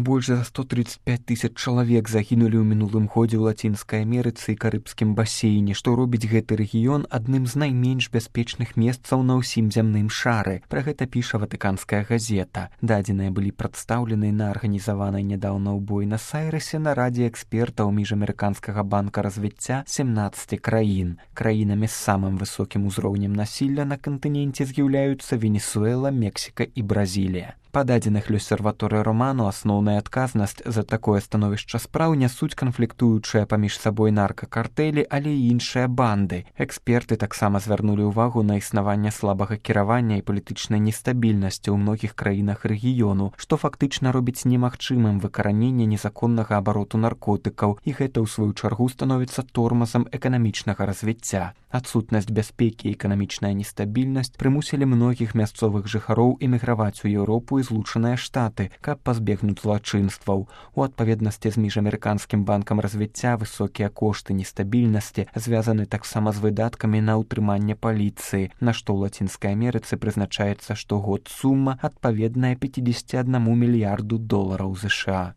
Больш за 135 тысяч чалавек загінулі ў мінулым годзе ў Лацінскай Амерыцы і Карыбскім басейне, што робіць гэты рэгіён адным з найменш бяспечных месцаў на ўсім зямным шары. Пра гэта піша Ватыканская газета. Дадзеныя былі прадстаўлены на арганізаванай нядаўна ў Буэнас-Айрэсе нарадзе экспертаў міжамерыканскага банка развіцця 17 краін. Краінамі з самым высокім узроўнем насілля на кантыненце з'яўляюцца Венесуэла, Мексіка і Бразілія. Па дадзеных L'Osservatore Romano асноўная адказнасць за такое становішча спраў нясуць канфліктуючыя паміж сабой наркакартэлі, але і іншыя банды. Эксперты таксама звярнулі ўвагу на існаванне слабага кіравання і палітычнай нестабільнасці ў многіх краінах рэгіёну, што фактычна робіць немагчымым выкараненне незаконнага абароту наркотыкаў, і гэта ў сваю чаргу становіцца тормазам эканамічнага развіцця. Адсутнасць бяспекі і эканамічная нестабільнасць прымусілі многіх мясцовых жыхароў эміграваць у Еўропу і Злучаныя Штаты, каб пазбегнуць злачынстваў. У адпаведнасці з міжамерыканскім банкам развіцця высокія кошты нестабільнасці звязаны таксама з выдаткамі на ўтрыманне паліцыі, на што ў Лацінскай Амерыцы прызначаецца штогод сума, адпаведная $51 мільярду США.